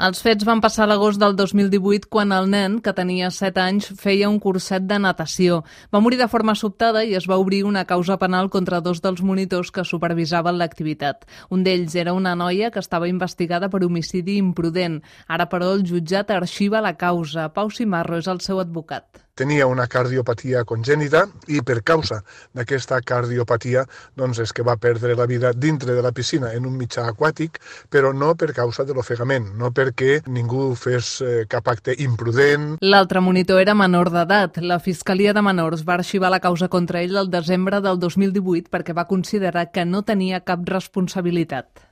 Els fets van passar a l'agost del 2018 quan el nen, que tenia 7 anys, feia un curset de natació. Va morir de forma sobtada i es va obrir una causa penal contra 2 dels monitors que supervisaven l'activitat. Un d'ells era una noia que estava investigada per homicidi imprudent. Ara, però, el jutjat arxiva la causa. Pau Simarro és el seu advocat. Tenia una cardiopatia congènita i per causa d'aquesta cardiopatia és que va perdre la vida dintre de la piscina en un mitjà aquàtic, però no per causa de l'ofegament, no perquè ningú fes cap acte imprudent. L'altre monitor era menor d'edat. La Fiscalia de Menors va arxivar la causa contra ell el desembre del 2018 perquè va considerar que no tenia cap responsabilitat.